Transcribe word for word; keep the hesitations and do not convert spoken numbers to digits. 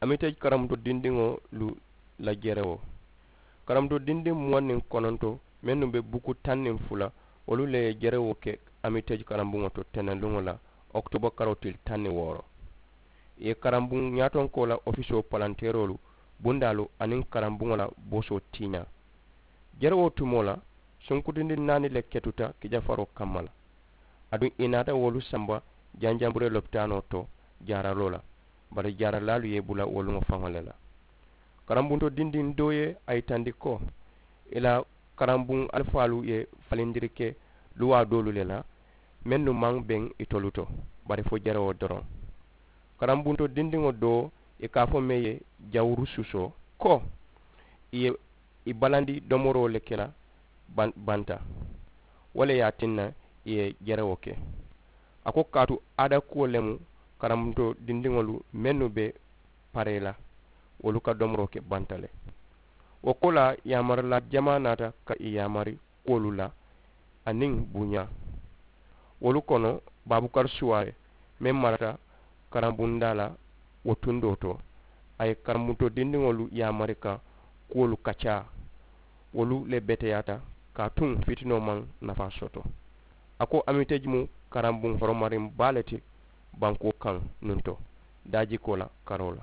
Amitej karambuto dindiŋolu la jerewoo. Karambuto dindiŋ muwaŋ niŋ kononto mennu be buku taŋ niŋ fula, wolu le ye jerewoo ke amitej karambuŋo to tenenluŋo la, okitoba karoo tili taŋ niŋ wooro. Ì ye karambuŋ ñaatonkoo la ofisoo palanteeroolu, bundaalu aniŋ karambuŋo la boosoo tiiñaa. Jerewoo tumoo la, sunkutindi naani le ketuta kijafaroo kamma la. Aduŋ ì naata wolu samba janjanburee lopitaanoo to jaaraloo la, bari jaaralaalu ye ì bula woluŋo faŋo le la. Karambunto dindiŋ doo ye a yitandi ko ì la karambuŋ alifaalu ye falindiri ke luwaa doolu le la, mennu maŋ beŋ itolu to, bari fo jerewoo doroŋ. Karambunto dindiŋo doo, ì ka a fo meŋ ye jawuru suusoo, ko ì ye ì balandi domoroo le ke la banta. Wo le ye a tinna ì ye jerewoo ke. A ko kaatu aada kuwo le mu, karambuto dindiŋolu mennu be paree la, wolu ka domoroo ke banta le. Wo koolaa yaamaralaa jamaa naata ka ì yaamari kuwolu la aniŋ buñaa. Wolu kono, baabukari suwaare meŋ marata karambundaa la wo tundoo to, a ye karambuto dindiŋolu yaamari ka kuwolu kaccaa. Wolu le beteyaata kaatuŋ fitinoo maŋ nafaa soto. A ko amitej mu karambuŋ horomariŋ baa le ti bankoo kaŋ nuŋ to daajikoo la karoo la.